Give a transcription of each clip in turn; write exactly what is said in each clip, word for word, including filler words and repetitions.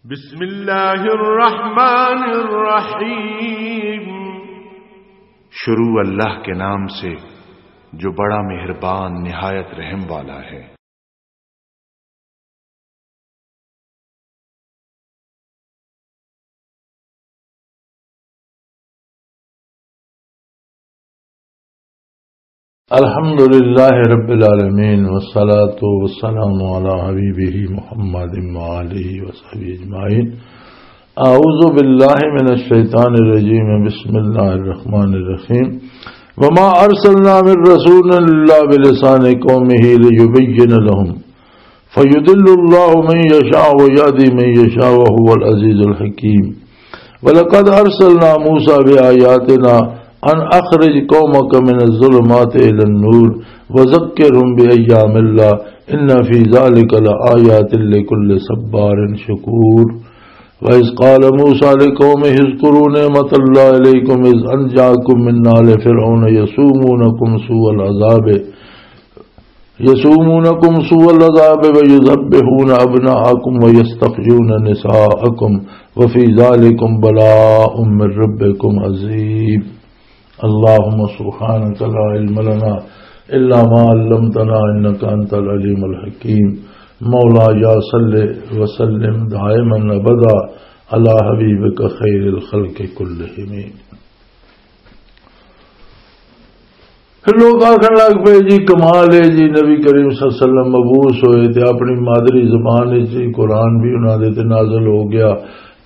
بسم اللہ الرحمن الرحیم۔ شروع اللہ کے نام سے، جو بڑا مہربان، نہایت رحم والا ہے۔ الحمد لله رب العالمين، والصلاة والسلام على حبيبه محمد وآله وصحبه أجمعين. أعوذ بالله من الشيطان الرجيم. بسم الله الرحمن الرحيم. وما أرسلنا من رسول إلا بلسان قومه ليبين لهم فيضل الله من يشاء ويهدي من يشاء وهو العزيز الحكيم. ولقد أرسلنا موسى بآياتنا أن أخرج قومك من الظلمات إلى النور وذكرهم بأيام الله إن في ذلك لآيات لكل صبار شكور. وإذ قال موسى لقومه اذكروا نعمة الله عليكم إذ أنجاكم من آل فرعون يسومونكم سوء العذاب يسومونكم سوء العذاب ويذبحون أبناءكم ويستحيون نساءكم وفي ذلكم بلاء من ربكم عظيم. اللهم سبحانك لا علم لنا إلا ما علمتنا إنك أنت العليم الحكيم. مولاي صل وسلم دائما أبدا على حبيبك خير الخلق كلهم. پھر لوگ آخر لگ پئے، "جی کمال ہے جی، نبی کریم صلی اللہ علیہ وسلم مبعوث ہوئے تے اپنی مادری زبان وچ ہی قرآن بھی انہاں دے تے نازل ہو گیا،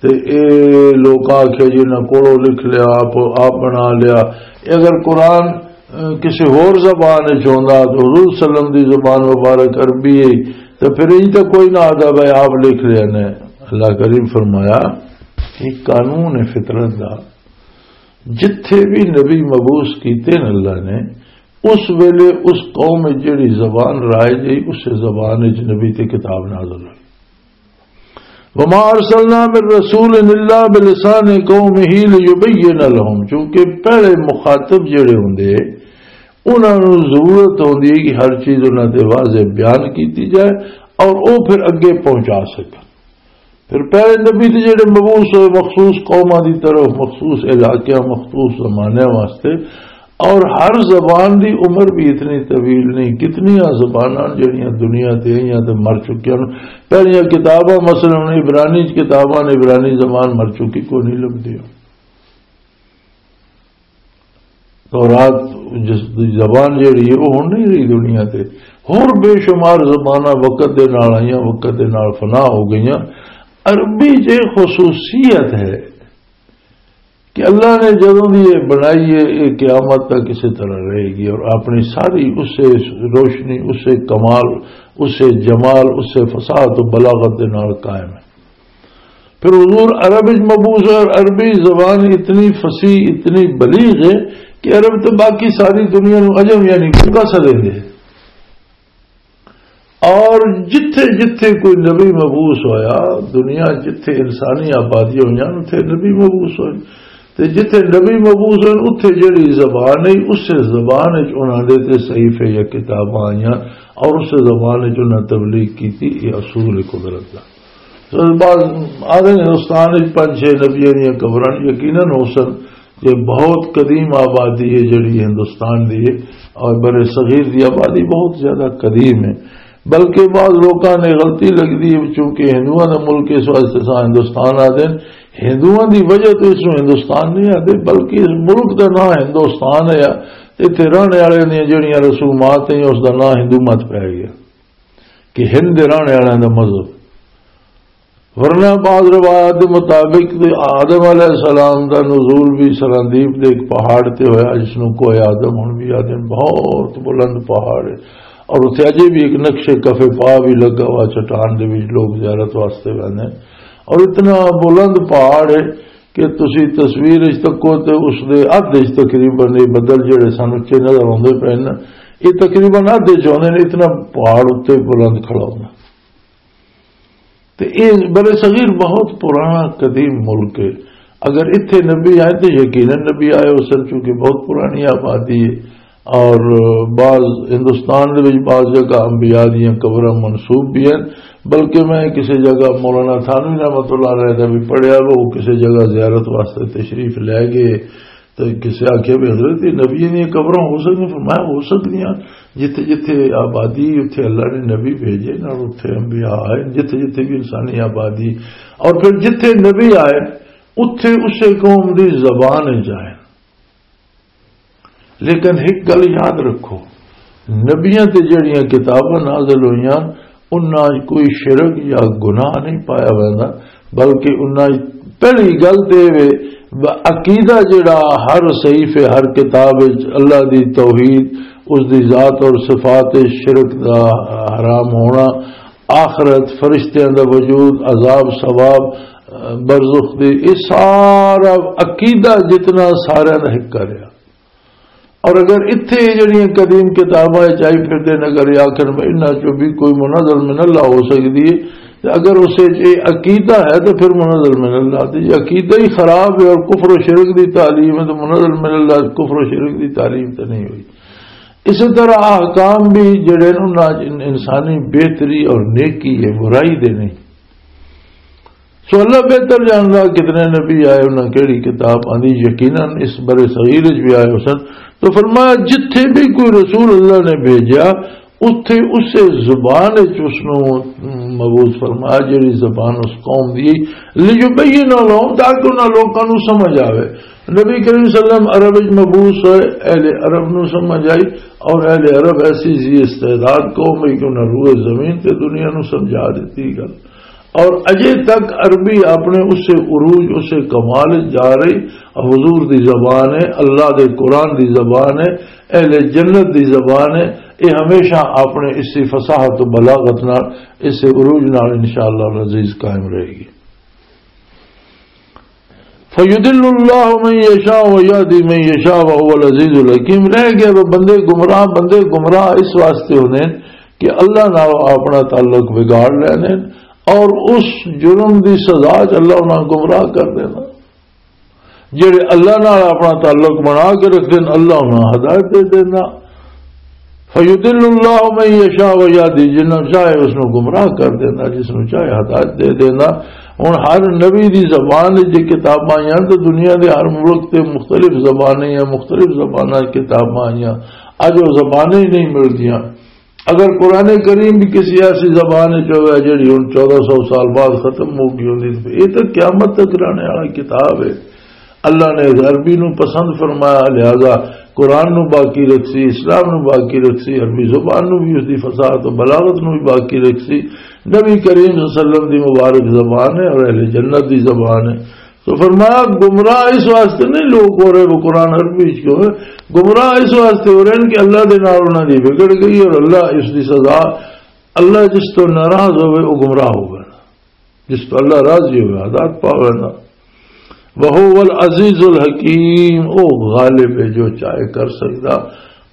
تے اے لوگ آکھے جی انہاں کولوں لکھ لیا، آپ، آپ بنا لیا۔" اے اگر قرآن، اے، کسی ہور زبان وچ ہوندا تو حضور صلی اللہ علیہ وسلم دی زبان مبارک عربی ہے، تے پھر انج تے کوئی نہ آدا بھائی آپ لکھ لیا نے۔ اللہ کریم فرمایا کہ قانون فطرت دا، جتھے بھی نبی مبعوث کیتے ہیں اللہ نے، اس ویلے اس قوم وچ جڑی زبان رائج ہے، اس زبان وچ نبی تے کتاب نازل ہوئی۔ وما ارسلنا من رسول الا بلسان قومه ليبين لهم، چونکہ پہلے مخاطب جڑے ہوندے، انہاں نوں ضرورت ہوندی ہے کہ ہر چیز انہاں تے واضح بیان کیتی جائے اور او پھر اگے پہنچا سکن۔ پھر پہلے نبی تے جڑے مبعوث ہوئے مخصوص قوماں دی طرف، مخصوص علاقیاں، مخصوص زمانے واسطے، اور ہر زبان دی عمر بھی اتنی طویل نہیں، کتنیاں زباناں جڑیاں دنیا تے آئیاں تے مر چکیاں نے۔ پہلیاں کتاباں، مثلاً عبرانی کتاباں نے، عبرانی زبان مر چکی، کوئی نہیں لبھی۔ تورات جس دی زبان جیڑی ہے، وہ ہن نہیں رہی دنیا تے۔ ہور بے شمار زباناں وقت دے نال آئیاں، وقت دے نال فنا ہو گئیاں۔ عربی جے خصوصیت ہے کہ اللہ نے جدوں دی یہ بنائی ہے، یہ قیامت تک اسی طرح رہے گی اور اپنی ساری اسے روشنی، اسے کمال، اسے جمال، اسے فصاحت و بلاغت دے نال قائم ہے۔ پھر حضور عرب وچ مبعوث ہے اور عربی زبان اتنی فصیح، اتنی بلیغ ہے کہ عرب تو باقی ساری دنیا نو عجم یعنی گنگا سمجھدے۔ اور جتھے جتھے کوئی نبی مبعوث ہویا، دنیا جتھے انسانی آبادی ہویاں، اتھے نبی مبعوث ہوئے۔ تے جتھے نبی مبعوث ہوئے، اتھے جڑی زبان ہے، اسے زبان وچ انہاں دے تے صحیفے یا کتاباں آئیاں اور اسے زبان وچ انہاں تبلیغ کیتی۔ یہ اصول قدرت دا۔ سو بعض آدھے ہندوستان وچ پنج چھ نبیاں دیاں قبراں یقیناً ہو سن، یہ بہت قدیم آبادی ہے جڑی ہندوستان دی ہے، اور بر صغیر دی آبادی بہت زیادہ قدیم ہے۔ بلکہ بعض لوکاں نے غلطی لگدی ہے، چونکہ ہندوؤں دا ملک اس واسطے سا ہندوستان آدھے، ہندوؤں دی وجہ تو اس نوں ہندوستان نہیں آدھے، بلکہ اس ملک دا نام ہندوستان ہے۔ اتھے رہنے والے دیاں جڑیاں رسومات ہیں، اس دا نام ہندو مت پی گیا کہ ہند دے رہنے والوں دا مذہب۔ ورنہ بعض روایات دے مطابق تے آدم علیہ السلام دا نزول بھی سراندیپ دے ایک پہاڑ تے ہویا، جس نوں کوہ آدم ہن بھی آدم، بہت بلند پہاڑ ہے، اور اتھے اجے بھی ایک نقش کف پا بھی لگا ہوا چٹان دے وچ، لوگ زیارت واسطے ویندے ہیں۔ اور اتنا بلند پہاڑ ہے کہ تسی تصویر وچ تکو تے اس دے ادھ وچ تقریباً یہ بدل جڑے سن اچے نظر آندے پے نے، یہ تقریباً ادھ وچ ہوندے نے، اتنا پہاڑ اتنے بلند کھڑا ہوندا۔ تے اے بر صغیر بہت پرانا قدیم ملک ہے۔ اگر اتھے نبی آئے تو یقیناً نبی آئے ہو سن، چونکہ بہت پرانی آبادی ہے۔ اور بعض ہندوستان دے وچ بعض جگہ انبیاء دیاں قبراں منسوب بھی ہیں، بلکہ میں کسی جگہ مولانا تھانوی رحمۃ اللہ علیہ دا بھی پڑھیا، وہ کسی جگہ زیارت واسطے تشریف لے گئے۔ تو کسی آخیا بھی حضرت، یہ نبی دیا قبراں ہو سکدیاں؟ فرمایا، ہو سکدیاں۔ جتھے جتھے آبادی، اتھے اللہ نے نبی بھیجے، نال اتھے انبیاء آئے، جتھے جتھے بھی انسانی آبادی، اور پھر جتھے نبی آئے، اتھے اسے قوم دی زبان وچ آئے۔ لیکن ایک گل یاد رکھو، نبیاں تے جڑیاں کتاباں نازل ہوئیاں، انہاں وچ کوئی شرک یا گناہ نہیں پایا ویندا، بلکہ انہاں وچ پہلی گل تے وے، ب-، عقیدہ جڑا ہر صحیفے، ہر کتاب وچ اللہ دی توحید، اس دی ذات اور صفات وچ شرک دا حرام ہونا، آخرت، فرشتیاں دا وجود، عذاب ثواب، برزخ دی، یہ سارا عقیدہ جتنا سارا دا ایک کریا۔ اور اگر اتھے جڑیاں قدیم کتاباں وچ آئی پھردے نے، اگر یہ آخر میں انہاں چوں بھی کوئی منزل من اللہ ہو سکدی ہے، تے اگر اسے وچ یہ عقیدہ ہے تو پھر منزل من اللہ۔ تے یہ عقیدہ ہی خراب ہے اور کفر و شرک دی تعلیم ہے، تو منزل من اللہ کفر و شرک دی تعلیم تے نہیں ہوئی۔ اسی طرح احکام بھی جڑے نے، انہاں وچ ان-، انسانی بہتری اور نیکی ہے، برائی دے نہیں۔ سو اللہ بہتر جاندا کتنے نبی آئے، انہاں کیڑی کتاب آندی، یقیناً اس بر صغیر وچ بھی آئے ہو سن۔ تو فرمایا، جتھے بھی کوئی رسول اللہ نے بھیجا، اتھے اسے زبان وچ اس نوں مبعوث فرمایا، جڑی زبان اس قوم دی، لیبین لہم، تاکہ انہاں لوکاں نوں سمجھ آوے۔ نبی کریم صلی اللہ علیہ وسلم عرب وچ مبعوث ہوئے، اہل عرب نوں سمجھ آئی، اور اہل عرب ایسی ذی استعداد قوم ہے کہ انہاں روئے زمین تے دنیا نوں سمجھا دتی گل۔ اور اجے تک عربی اپنے اسے عروج، اسے کمال وچ جا رہی۔ حضور دی زبان ہے، اللہ دے قرآن دی زبان ہے، اہل جنت دی زبان ہے۔ یہ ہمیشہ اپنے اسی فصاحت و بلاغت نال، اسے عروج نال انشاءاللہ العزیز قائم رہے گی۔ فیضل اللہ من یشاء و یہدی من یشاء و هو العزیز الحکیم۔ رہ گئے وہ بندے گمراہ، بندے گمراہ اس واسطے ہوندے ہیں کہ اللہ نال اپنا تعلق بگاڑ لیندے ہیں اور اس جرم دی سزا چ اللہ انہاں گمراہ کر دینا۔ جڑے اللہ نال اپنا تعلق بنا کے رکھدے ہیں، اللہ انہاں ہدایت دے دینا۔ فیضل اللہ من یشاء و یہدی، جنہاں چاہے اس نوں گمراہ کر دینا، جس نوں چاہے ہدایت دے دینا۔ ہن ہر نبی دی زبان وچ جے کتاباں آئیاں تو دنیا دے ہر ملک تے مختلف زبانیں یا مختلف زباناں وچ کتاباں آئیاں۔ اج وہ زبانیں ہی نہیں ملدیاں۔ اگر قرآن کریم بھی کسی ایسی زبان وچ ہوئے جڑی ہن چودہ سو سال بعد ختم ہو گئی ہوندی، تو یہ تو قیامت تک رہنے والا کتاب ہے۔ اللہ نے عربی نو پسند فرمایا، لہذا قرآن نو باقی رکھسی، اسلام نو باقی رکھسی، عربی زبان نو بھی، اس دی فصاحت و بلاغت نو بھی باقی رکھسی۔ نبی کریم صلی اللہ علیہ وسلم دی مبارک زبان ہے اور اہل جنت دی زبان ہے۔ تو فرمایا، گمراہ اس واسطے نہیں لوگ ہو رہے وہ قرآن عربی وچ کیوں ہے؟ گمراہ اس واسطے ہو رہے ہیں کہ اللہ دے نال انہاں دی بگڑ گئی اور اللہ اس دی سزا، اللہ جس تو ناراض ہوئے وہ گمراہ ہو گیا۔ جس تو اللہ راضی ہوئے، ہدایت پاوے نا۔ وَهُوَ الْعَزِيزُ الْحَكِيمُ، او غالب ہے، جو چاہے کر سکدا،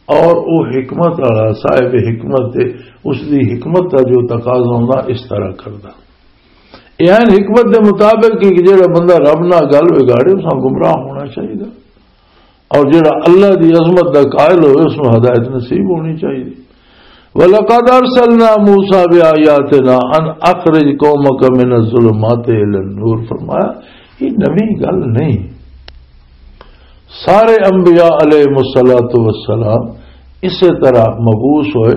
اور او حکمت والا، صاحب حکمت ہے، اس دی حکمت دا جو تقاضا ہوندا، اس طرح کردا۔ اے عین حکمت دے مطابق کہ جڑا بندہ رب نال گل بگاڑے، اس نال گمراہ ہونا چاہیے۔ اور جڑا اللہ دی عظمت دا قائل ہوئے، اس نوں ہدایت نصیب ہونی چاہیے۔ وَلَقَدْ أَرْسَلْنَا مُوسَىٰ بِآيَاتِنَا أَنْ أَخْرِجْ قَوْمَكَ مِنَ الظُّلُمَاتِ إِلَى النُّورِ، فرمایا، یہ نوی گل نہیں۔ سارے انبیاء علیہ الصلوۃ والسلام اسی طرح مبعوث ہوئے،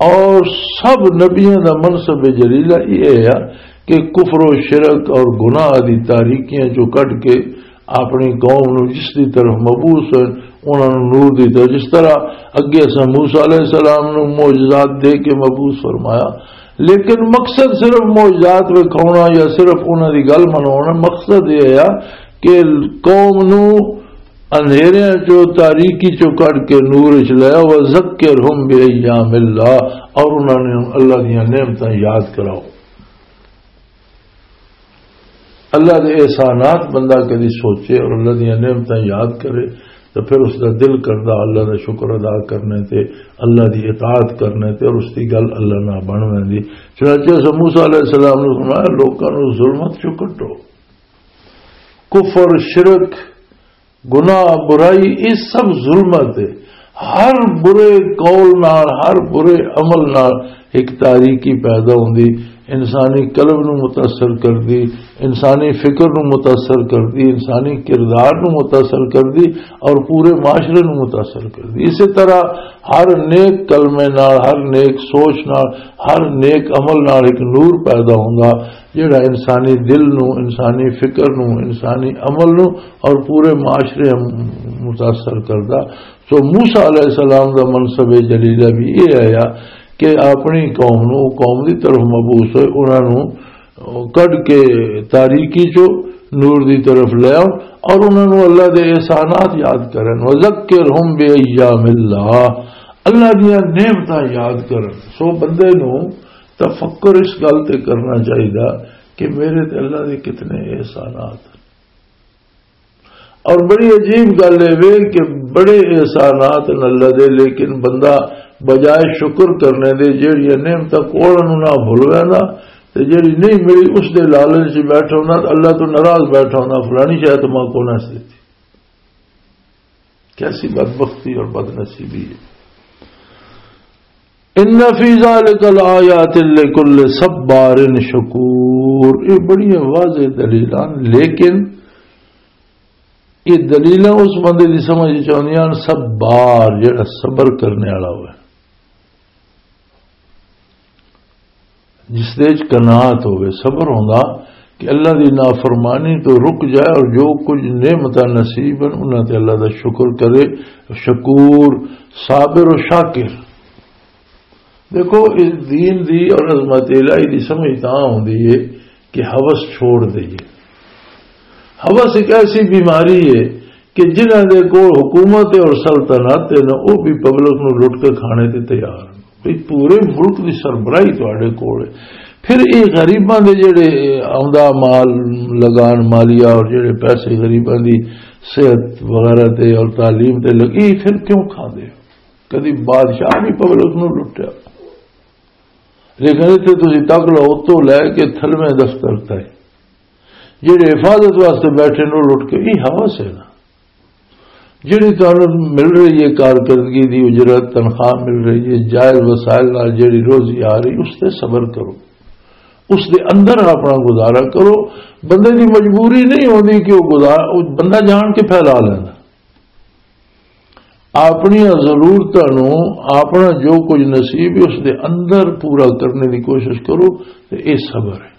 اور سب نبیوں دا منصب جلیلہ یہ ہے کہ کفر و شرک اور گناہ دی تاریکیاں چوں کڈ کے اپنی قوم نو جس دی طرف مبعوث ہوئے، انہاں نو نور دی طرف، جس طرح اگے اساں موسیٰ علیہ السلام نو معجزات دے کے مبعوث فرمایا، لیکن مقصد صرف معجزات وکھاونا یا صرف انہاں دی گل منوانا، مقصد یہ ہے کہ قوم نو اندھیریاں چو، تاریکی چو کڈ کے نور وچ لے آؤ، وذکرہم بایام اللہ، اور انہاں نے اللہ دیاں نعمتاں یاد کراؤ۔ اللہ دے احسانات بندہ کدی سوچے اور اللہ دیاں نعمتاں یاد کرے، تو پھر اس دا دل کردا اللہ دا شکر ادا کرنے تے، اللہ دی اطاعت کرنے تے، اور اس دی گل اللہ نال بن ویندی۔ چنانچہ اساں موسیٰ علیہ السلام نوں فرمایا، لوکاں نوں ظلمت چوں کڈو، کفر، شرک، گناہ، برائی، یہ سب ظلمت ہے۔ ہر برے قول نال، ہر برے عمل نال ایک تاریکی پیدا ہوندی، انسانی قلب نو متاثر کردی، انسانی فکر نو متاثر کردی، انسانی کردار نو متاثر کردی اور پورے معاشرے نو متاثر کردی۔ اسی طرح ہر نیک کلمے نال، ہر نیک سوچ نال، ہر نیک عمل نال ایک نور پیدا ہوندا، جڑا انسانی دل نو، انسانی فکر نو، انسانی عمل نو اور پورے معاشرے نو متاثر کردا۔ سو موسیٰ علیہ السلام دا منصب جلیلہ بھی یہ آیا کہ اپنی قوم نو، قوم دی طرف مبعوث ہوئے، انہاں نو کڈ کے تاریکی چو نور دی طرف لے آؤ اور انہاں نو اللہ دے احسانات یاد کرن۔ وذکرہم بایام اللہ، اللہ دیاں نعمتاں یاد کرن۔ سو بندے نو تفکر اس گل تے کرنا چاہیدا کہ میرے تے اللہ دے کتنے احسانات ہیں۔ اور بڑی عجیب گل اے وے کہ بڑے احسانات ہیں اللہ دے، لیکن بندہ بجائے شکر کرنے دے جیڑیاں نعمتاں کول انہوں نہ بھول ویندا، تے جیڑی نہیں ملی اس دے لالچ وچ بیٹھا ہوندا، تے اللہ تو ناراض بیٹھا ہوندا، فلانی شاید ماں کو نہ دتی۔ کیسی بدبختی اور بدنصیبی ہے۔ ان فی ذلک لآیات لکل صبار شکور، یہ بڑی واضح دلیل ہیں، لیکن یہ دلیلاں اس بندے دی سمجھ وچ آندیاں، صبار، جڑا صبر کرنے والا ہوئے، جس دے وچ قناعت ہوئے، صبر ہوندا کہ اللہ دی نافرمانی تو رک جائے اور جو کچھ نعمتاں نصیب ہیں، انہاں تے اللہ دا شکر کرے، شکور، صابر و شاکر۔ دیکھو، اس دین دی اور عظمت الہی دی سمجھ تاں ہوندی ہے کہ ہوس چھوڑ دئیے۔ ہوس ایک ایسی بیماری ہے کہ جنہاں دے کول حکومت ہے اور سلطنت ہے نا، وہ بھی پبلک نو لٹ کے کھانے تے تیار ہیں۔ بھئی، پورے ملک دی سربراہی تواڈے کول ہے۔ پھر یہ غریباں دے جڑے آمدہ مال، لگان مالیہ اور جڑے پیسے غریباں دی صحت وغیرہ تے اور تعلیم تے لگی، پھر کیوں کھاندے ہو؟ کدی بادشاہ بھی پبلک نو لٹیا، لیکن اتنے تسی تک لو، اتوں لے کے تھلویں دفتر تک جڑے حفاظت واسطے بیٹھے نے، لٹ کے یہ ہوس ہے نا۔ جڑی تانوں مل رہی ہے کارکردگی دی اجرت، تنخواہ مل رہی ہے، جائز وسائل نال جڑی روزی آ رہی، اس تے صبر کرو، اس دے اندر اپنا گزارا کرو۔ بندے دی مجبوری نہیں ہوندی کہ وہ گزار، وہ بندہ جان کے پھیلا لینا۔ اپنی ضرورتاں نوں، اپنا جو کچھ نصیب ہے، اس دے اندر پورا کرنے دی کوشش کرو، تے اے صبر ہے۔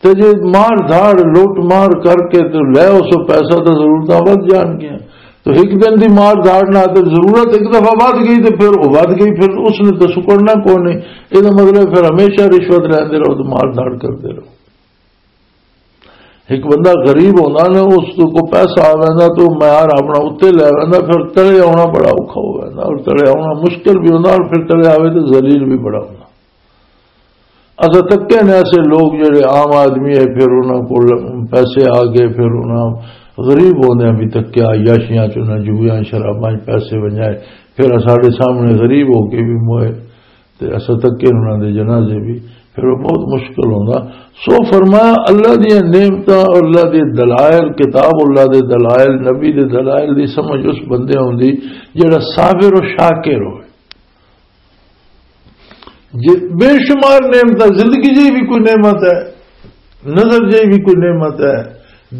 تے جے مار دھاڑ، لوٹ مار کر کے تے لے اس پیسہ، تے ضرورتاں ود جان گیاں۔ تو ایک دن دی مار دھاڑ نہ، تے ضرورت ایک دفعہ ود گئی، تے پھر وہ ود گئی، پھر اس نے تو سکڑنا کوئی نہیں۔ یہ مطلب پھر ہمیشہ رشوت لیندے رہو، تے مار دھاڑ کردے رہو۔ ایک بندہ غریب ہوندا نا، اس کو پیسہ آ ویندا تو معیار اپنا اتنے لے ویندا، پھر تلے آنا بڑا اوکھا ہو ویندا، اور تلے آنا مشکل بھی ہوندا، اور پھر تلے آوے تو ذلیل بھی بڑا ہوندا۔ اساں تکے نے ایسے لوگ جڑے عام آدمی ہے، پھر انہاں کول پیسے آ گئے، پھر انہاں غریب ہوندے بھی تکیا، عیاشیاں چ، انہاں جوئیاں شراباں چ پیسے ونجائے، پھر ساڈے سامنے غریب ہو کے بھی موئے۔ تے اساں تکے انہاں دے جنازے بھی، پھر وہ بہت مشکل ہوندا۔ سو فرمایا، اللہ دیاں نعمتاں اور اللہ دے دلائل، کتاب اللہ دے دلائل، نبی دے دلائل دی سمجھ اس بندے ہوندی جڑا صابر و شاکر ہوئے۔ جے بے شمار نعمتاں، زندگی جی بھی کوئی نعمت ہے، نظر جی بھی کوئی نعمت ہے،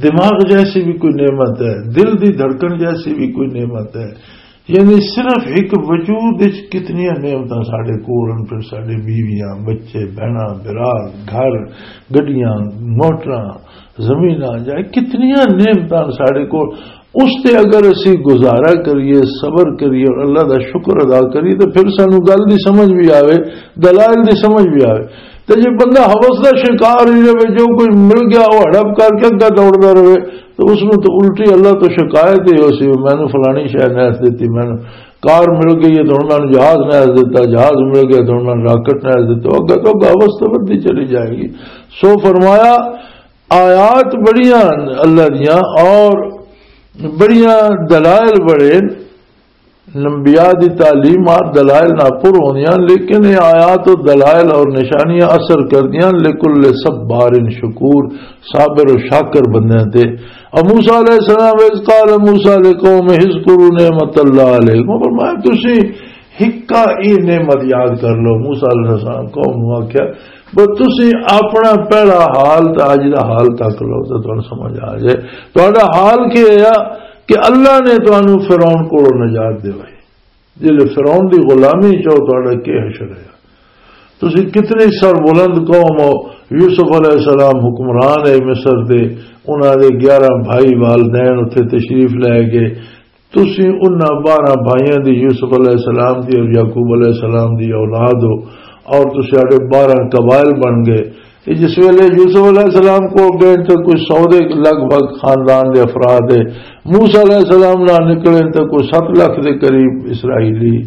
دماغ جیسی بھی کوئی نعمت ہے، دل دی دھڑکن جیسی بھی کوئی نعمت ہے، یعنی صرف ایک وجود وچ کتنیاں نعمتاں ساڈے کول ہن، پھر ساڈے بیویاں، بچے، بہناں، برا، گھر، گڈیاں، موٹراں، زمیناں، جائے کتنیاں نعمتاں ساڈے کول۔ اس تے اگر اسی گزارا کریے، صبر کریے اور اللہ دا شکر ادا کریے، تو پھر سانو گل دی سمجھ بھی آوے، دلائل دی سمجھ بھی آوے۔ تے جے بندہ ہوس دا شکار ہی رہے، جو کوئی مل گیا وہ ہڑپ کر کے اگا دوڑدا رہے، تو اس نوں تو الٹی اللہ تو شکایت ہی ہو سی، "مینوں فلانی شے نہ دتی، مینوں کار مل گئی ہے تو انہاں نے جہاز نہ دتا، جہاز مل گیا تو انہاں نے راکٹ نہ دتا۔" اگا تو اگا ہوس تو ودی چلی جائے گی۔ سو فرمایا، آیات بڑیاں اللہ دیاں اور بڑیاں دلائل بڑے، انبیاء دی تعلیمات دلائل نال پر ہوندیاں، لیکن یہ آیات و دلائل اور نشانیاں اثر کردیاں لکل صبار شکور، صابر و شاکر بندیاں تے۔ اور موسیٰ علیہ السلام، "اذ قال موسیٰ لقومہ اذکروا نعمت اللہ علیکم"، فرمایا، "تسی ہکا ای نعمت یاد کر لو۔" موسیٰ علیہ السلام قوم نو آکھیا، "بس تسی اپنا پہلا حال تے اج دا حال تک لو تے تانوں سمجھ آ جائے۔ تہاڈا حال کی ہویا کہ اللہ نے تانوں فرعون کولوں نجات دوائی، جلے فرعون دی غلامی چ ہو، تہاڈا کی حشر ہے؟ تسی کتنی سر بلند قوم ہو۔" یوسف علیہ السلام حکمران ہے مصر دے، انہاں دے گیارہ بھائی والدین اتھے تشریف لے گئے۔ تسی انہاں بارہ بھائیاں دی، یوسف علیہ السلام دی اور یعقوب علیہ السلام دی اولاد ہو، اور تسی ساڈے بارہ قبائل بن گئے۔ تے جس ویلے یوسف علیہ السلام کو گئے تے کوئی سو دے لگ بھگ خاندان دے افراد ہے، موسیٰ علیہ السلام نال نکلے تے کوئی ست لکھ دے قریب اسرائیلی،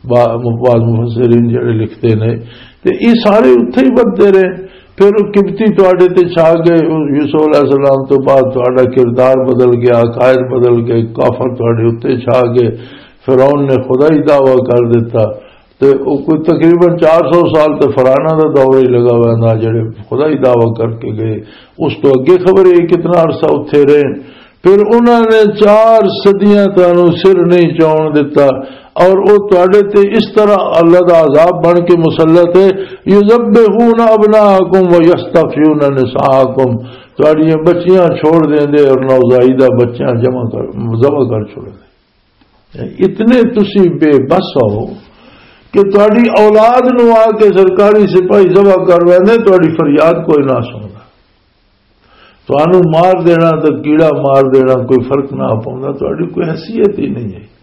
با-، بعض مفسرین جڑے لکھتے نے، تے یہ سارے اتھے ہی بدتے رہے۔ پھر وہ قبطی تواڈے تے چھا گئے، یوسف علیہ السلام تو بعد تواڈا کردار بدل گیا، عقائد بدل گئے، کافر تواڈے اتھے چھا گئے، فرعون نے خدائی دعویٰ کر دیتا۔ تے او کوئی تقریباً چار سو سال تے فراعنہ دا دور ہی لگا ہوا نا، جڑے خدائی دعویٰ کر کے گئے۔ اس تو اگے خبر ہے کتنا عرصہ اتھے رہے۔ پھر انہاں نے چار صدیاں تانوں سر نہیں چاون دتا، اور او تواڈے تے اس طرح اللہ دا عذاب بن کے مسلط ہے، "یذبحون ابناءکم و یستحیون نساءکم"، تواڈیاں بچیاں چھوڑ دیندے اور نوزائیدہ بچیاں جمع کر، ذبح کر چھوڑ دے۔ اتنے تسی بے بس ہو کہ تہاڈی اولاد نو آ کے سرکاری سپاہی ذبح کر ویندے، تہاڈی فریاد کوئی نہ سندا۔ تہانوں مار دینا تے کیڑا مار دینا کوئی فرق نہ پوندا، تہاڈی کوئی حیثیت ہی نہیں ہے۔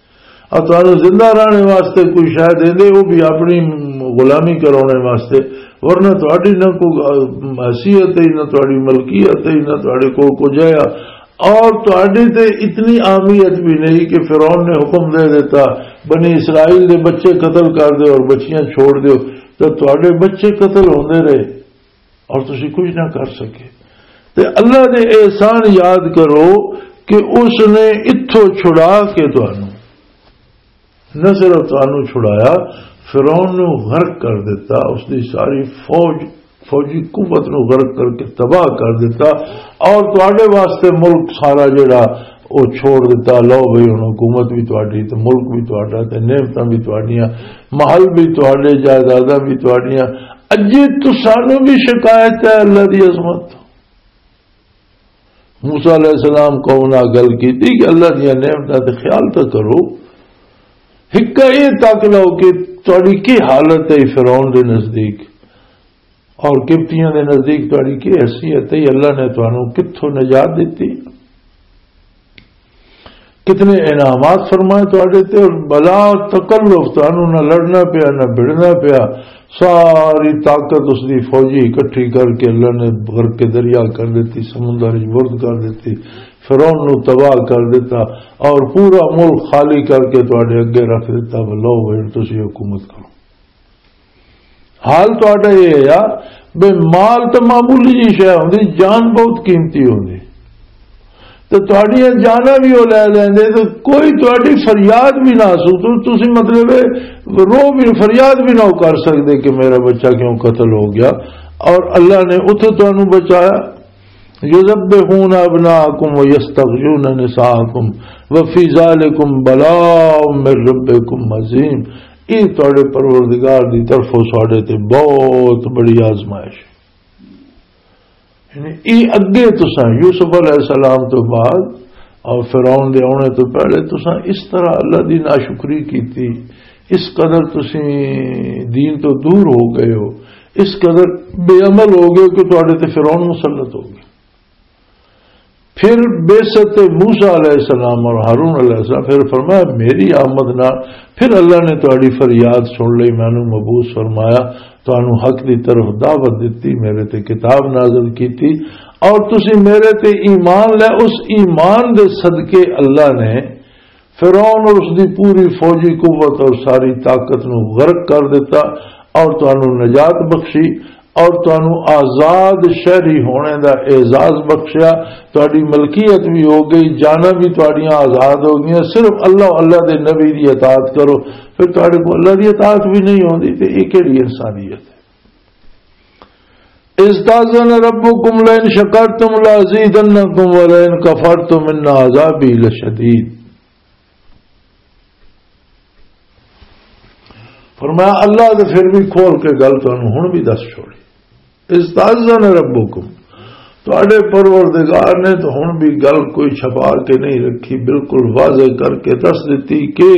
اور تہانوں زندہ رہنے واسطے کوئی شاید دیندے، وہ بھی اپنی غلامی کرانے واسطے، ورنہ تہاڈی نہ کوئی حیثیت ہے، نہ تہاڈی ملکیت ہے، نہ تہاڈے کول کچھ ہے۔ اور تہاڈی تے اتنی اہمیت بھی نہیں کہ فرعون نے حکم دے دیتا، "بنی اسرائیل دے بچے قتل کر دیو اور بچیاں چھوڑ دیو"، تو تہاڈے بچے قتل ہوندے رہے اور تسی کچھ نہ کر سکے۔ تے اللہ دے احسان یاد کرو کہ اس نے اتھوں چھڑا کے تہانوں نہ صرف تانوں چھڑایا، فرعون نوں غرق کر دتا، اس دی ساری فوج، فوجی قوت نوں غرق کر کے تباہ کر دتا، اور تواڈے واسطے ملک سارا جڑا او چھوڑ دتا۔ لو بھئی، ہن حکومت بھی تواڈی، تے ملک بھی تواڈا، تے نعمتاں بھی تواڈیاں، محل بھی تواڈے، جائیداداں بھی تواڈیاں۔ اجے تسانوں بھی شکایت ہے اللہ دی عظمت۔ موسیٰ علیہ السلام قوم نال گل کیتی کہ اللہ دیاں نعمتاں تے خیال تاں کرو، ہکا یہ تک لو کہ تہاڈی کی حالت ہے فرعون دے نزدیک اور قبطیاں دے نزدیک، تہاڈی کی حیثیت ہے، اللہ نے تانوں کتھوں نجات دتی، کتنے انعامات فرمائے تہاڈے تے، اور بلا اور تکلف، تانوں نہ لڑنا پیا، نہ بھڑنا پیا، ساری طاقت اس دی فوجی اکٹھی کر کے اللہ نے غرق دریا کر دیتی، سمندر وچ برد کر دیتی، فرعون نو تباہ کر دیتا، اور پورا ملک خالی کر کے تہاڈے اگے رکھ دیتا، بھی لو ہن تسی حکومت کرو۔ حال تہاڈا یہ ہے بے، مال تے معمولی جی شے ہوندی، جان بہت قیمتی ہوندی، تے تہاڈیاں جاناں بھی وہ لے لیندے، تے کوئی تہاڈی فریاد بھی نہ سو، تو تسی مطلب ہے، رو بھی، فریاد بھی نہ کر سکدے کہ میرا بچہ کیوں قتل ہو گیا، اور اللہ نے اتھے تانوں بچایا۔ یذبحون ابناءکم و یستحیون نساءکم و فی ذالکم بلاء من ربکم عظیم۔ یہ تہاڈے پروردگار دی طرفوں ساڈے تے بہت بڑی آزمائش ہے۔ یعنی، یہ اگے تساں یوسف علیہ السلام تو بعد اور فرعون دے آنے تو پہلے تساں اس طرح اللہ دی ناشکری کیتی، اس قدر تسیں دین تو دور ہو گئے ہو، اس قدر بے عمل ہو گئے ہو کہ تہاڈے تے فرعون مسلط ہو گیا۔ پھر بعثت موسیٰ علیہ السلام اور ہارون علیہ السلام، پھر فرمایا، میری آمد نہ، پھر اللہ نے تہاڈی فریاد سن لئی، مینوں مبعوث فرمایا، تانوں حق دی طرف دعوت دتی، میرے تے کتاب نازل کیتی، اور تسی میرے تے ایمان لے۔ اس ایمان دے صدقے اللہ نے فرعون اور اس دی پوری فوجی قوت اور ساری طاقت نو غرق کر دیتا، اور تانوں نجات بخشی، اور تانوں آزاد شہری ہونے دا اعزاز بخشیا۔ تہاڈی ملکیت بھی ہو گئی، جاناں بھی تہاڈیاں آزاد ہو گئیاں۔ صرف اللہ، اللہ دے نبی دی اطاعت کرو، پھر تہاڈے کو اللہ دی اطاعت بھی نہیں ہوندی، تے یہ کیڑی انسانیت ہے؟ استاذن ربکم لئن شکرتم لازیدنکم ولئن کفرتم ان عذابی لشدید۔ فرمایا، اللہ تو پھر بھی کھول کے گل تانوں ہن بھی دس چھوڑی۔ استاذن ربکم، تہاڈے پروردگار نے تو ہن بھی گل کوئی چھپا کے نہیں رکھی، بالکل واضح کر کے دس دتی کہ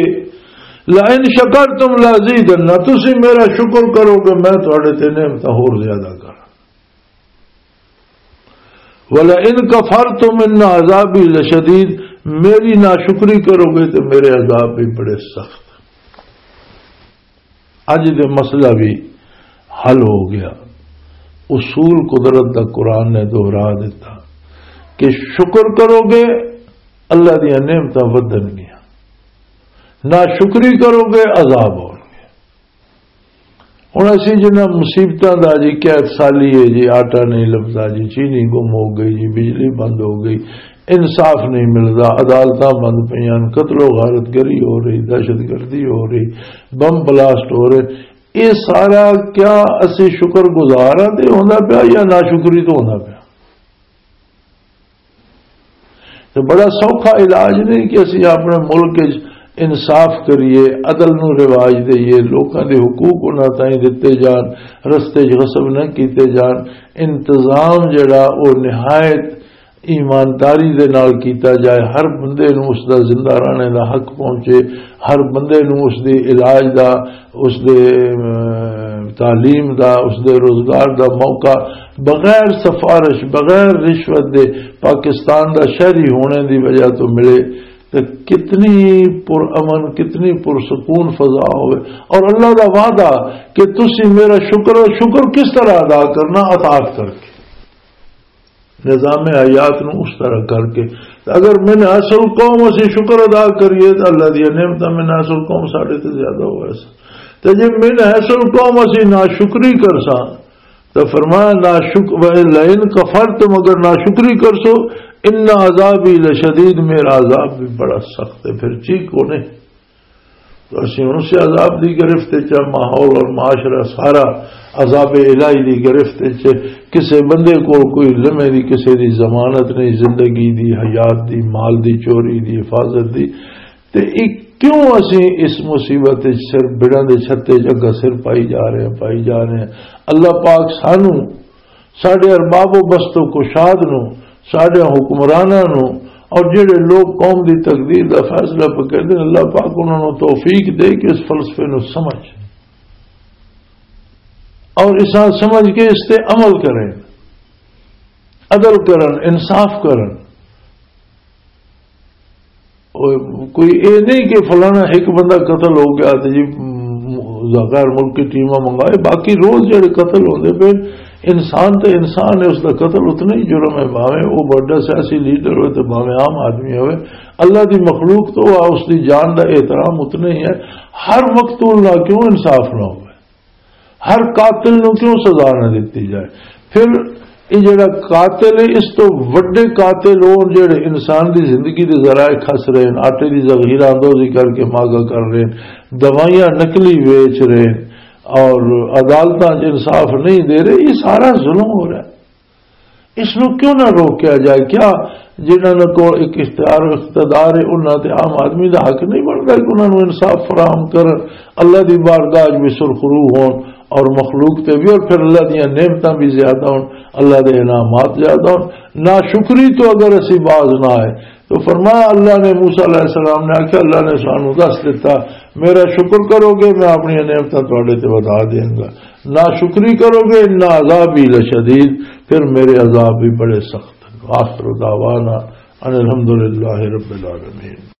لئن شکرتم لازیدن، تسی میرا شکر کرو گے، میں تہاڈے تے نعمتاں ہور زیادہ کراں۔ وَلَئِن كَفَرْتُمْ إِنَّ عَذَابِي لَشَدِيدٌ، میری ناشکری کرو گے تو میرے عذاب بھی بڑے سخت۔ اج دے مسئلہ بھی حل ہو گیا۔ اصول قدرت دا قرآن نے دہرا دیتا کہ شکر کرو گے، اللہ دیاں نعمتاں ودھن گیاں، ناشکری کرو گے، عذاب ہون گے۔ ہن اسی جنہاں مصیبتاں دا جی، قحط سالی ہے جی، آٹا نہیں لبدا جی، چینی گم ہو گئی جی، بجلی بند ہو گئی، انصاف نہیں ملدا، عدالتاں بند پئیاں، قتل و غارت گری ہو رہی، دہشت گردی ہو رہی، بم بلاسٹ ہو رہے، یہ سارا کیا اسی شکر گزار ہاں تے ہوندا پیا یا ناشکری تو ہوندا پیا؟ تے بڑا سوکھا علاج نہیں کہ اسی اپنے ملک وچ انصاف کریے، عدل نو رواج دئیے، لوکاں دے حقوق انہاں تائیں دتے جان، رستے وچ غصب نہ کیتے جان۔ انتظام جڑا او نہایت ایمانداری دے نال کیتا جائے، ہر بندے نو اس دا زندہ رہنے دا حق پہنچے، ہر بندے نو اس دی علاج دا، اس دے، ام، تعلیم دا، اس دے روزگار دا موقع بغیر سفارش، بغیر رشوت دے پاکستان دا شہری ہونے دی وجہ تو ملے، تے کتنی پرامن، کتنی پرسکون فضا ہوئے۔ اور اللہ دا وعدہ کہ تسی میرا شکر، شکر کس طرح ادا کرنا؟ اطاعت کر کے، نظام حیات نو اس طرح کر کے۔ تے اگر من حیث القوم اسی شکر ادا کریے تو اللہ دی نعمتاں من حیث القوم ساڈے تے زیادہ ہوئے سن۔ تے جے من حیث القوم اسی ناشکری کرساں، تو فرمایا، ناشک-، وَإِن لَئِن كَفَرْتُمْ، اگر ناشکری کرسو، ان عذابی لشدید، میرا عذاب بھی بڑا سخت ہے۔ پھر چیک کونے۔ تو اسی ہن اسے عذاب دی گرفت وچ آ، ماحول اور معاشرہ سارا عذاب الہی دی گرفت وچ ہے۔ کسے بندے کول کوئی لمحے دی کسے دی ضمانت نہیں، زندگی دی، حیات دی، مال دی، چوری دی، حفاظت دی۔ تے یہ کیوں اسی اس مصیبت وچ سر، بڑاں دے چھتے وچ اگا سر پائی جا رہے ہیں، پائی جا رہے ہیں؟ اللہ پاک سانو، ساڈے ارباب و بست و کشاد نو، ساڈے حکمراناں نو، اور جڑے لوگ قوم دی تقدیر دا فیصلہ پہ کردے نے، اللہ پاک انہاں نو توفیق دے کہ اس فلسفے نو سمجھ، اور اساں سمجھ کے اس تے عمل کریں، عدل کرن، انصاف کرن۔ کوئی اے نہیں کہ فلانا ایک بندہ قتل ہو گیا تو جی، م-، غیر ملکی ٹیماں منگائے، باقی روز جڑے قتل ہوندے پے، انسان تے انسان ہے، اس دا قتل اتنا ہی جرم ہے، بھاویں وہ بڑا سیاسی لیڈر ہوئے تے بھاویں عام آدمی ہوئے۔ اللہ دی مخلوق تو آ، اس دی جان دا احترام اتنا ہی ہے۔ ہر مقتول نہ کیوں انصاف نہ ہوئے؟ ہر قاتل نو کیوں سزا نہ دتی جائے؟ پھر یہ جڑا قاتل ہے، اس تو وڈے قاتل ہون جڑے انسان دی زندگی دے ذرائع کھس رہے ہیں، آٹے دی ذخیرہ اندوزی کر کے ماگا کر رہے ہیں، دوائیاں نقلی ویچ رہے ہیں اور عدالتاں 'چ انصاف نہیں دے رہے۔ یہ سارا ظلم ہو رہا ہے۔ اس نو کیوں نہ روکیا جائے؟ کیا جنہاں نے کول ایک اختیار و اقتدار ہے، انہاں تے عام آدمی دا حق نہیں بندا کہ انہاں نو انصاف فراہم کرن، اللہ دی بارگاہ 'چ بھی سرخرو ہون اور مخلوق تے بھی، اور پھر اللہ دیاں نعمتاں بھی زیادہ ہون، اللہ دے انعامات زیادہ ہون؟ ناشکری تو اگر اسی باز نہ آئے تو فرمایا، اللہ نے، موسیٰ علیہ السلام نے آکھیا، اللہ نے سانو دس دتا، میرا شکر کرو گے، میں اپنی نعمتاں تواڈے تے ودھا دیاں گا۔ ناشکری کرو گے، ان عذابی لشدید، پھر میرے عذاب بھی بڑے سخت ہیں۔ وآخر دعوانا ان الحمدللہ رب العالمین۔